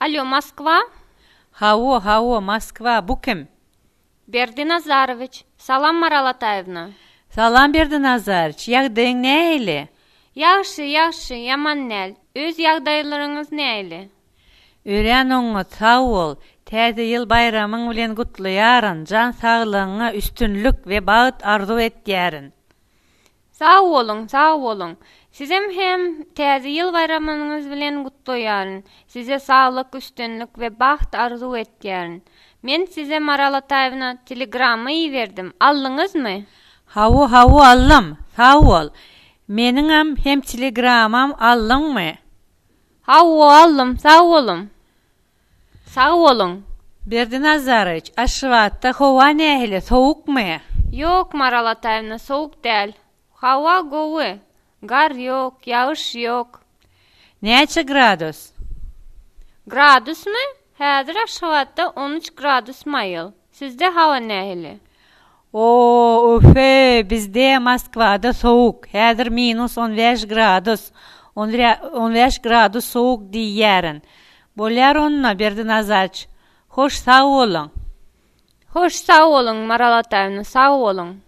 Alýo, Moskwa? Hawa, hawa, Moskwa, bu kim? Berdi Nazarowiç. Salam, Maral Ataýewna. Salam, Berdi Nazarowiç, ýagdaýyň nähili? Ýagşy, ýagşy, ýaman däl. Öz ýagdaýlaryňyz nähili? Örän oňat, sag bol. Täze ýyl baýramyň bilen gutlaýaryn, jan saglygyňa üstünlik we bagt arzuw etýärin. Sag boluň, sag boluň. Sizem hem Täze ýyl baýramyňyz bilen gutlaýaryn. Size saglyk, üstünlik we bagt arzuw etýärin. Men size Maral Ataýewna telegramma iberdim. Aldyňyzmy? Hawa, hawa aldym. Sag bol. Meniňem hem telegramam aldyňmy? Hawa aldym, sag boluň. Sag boluň. Berdi Nazarowiç, Aşgabatda howa nähili, sowukmy? Ýok, Maral Ataýewna, sowuk däl. Howa gowy. Gar ýok, ýagyş ýok. Näçe gradus? Gradusmy? Häzir Aşgabatda 13 gradus maýyl. Sizde hawa nähili? O, öfe, bizde Moskwada sowuk. Häzir minus 15 gradus. 15 gradus sowuk diýýärin. Bolýar onda, Berdi Nazarowiç. Hoş, sag boluň. Hoş, sag boluň, Maral Ataýewna, sag boluň.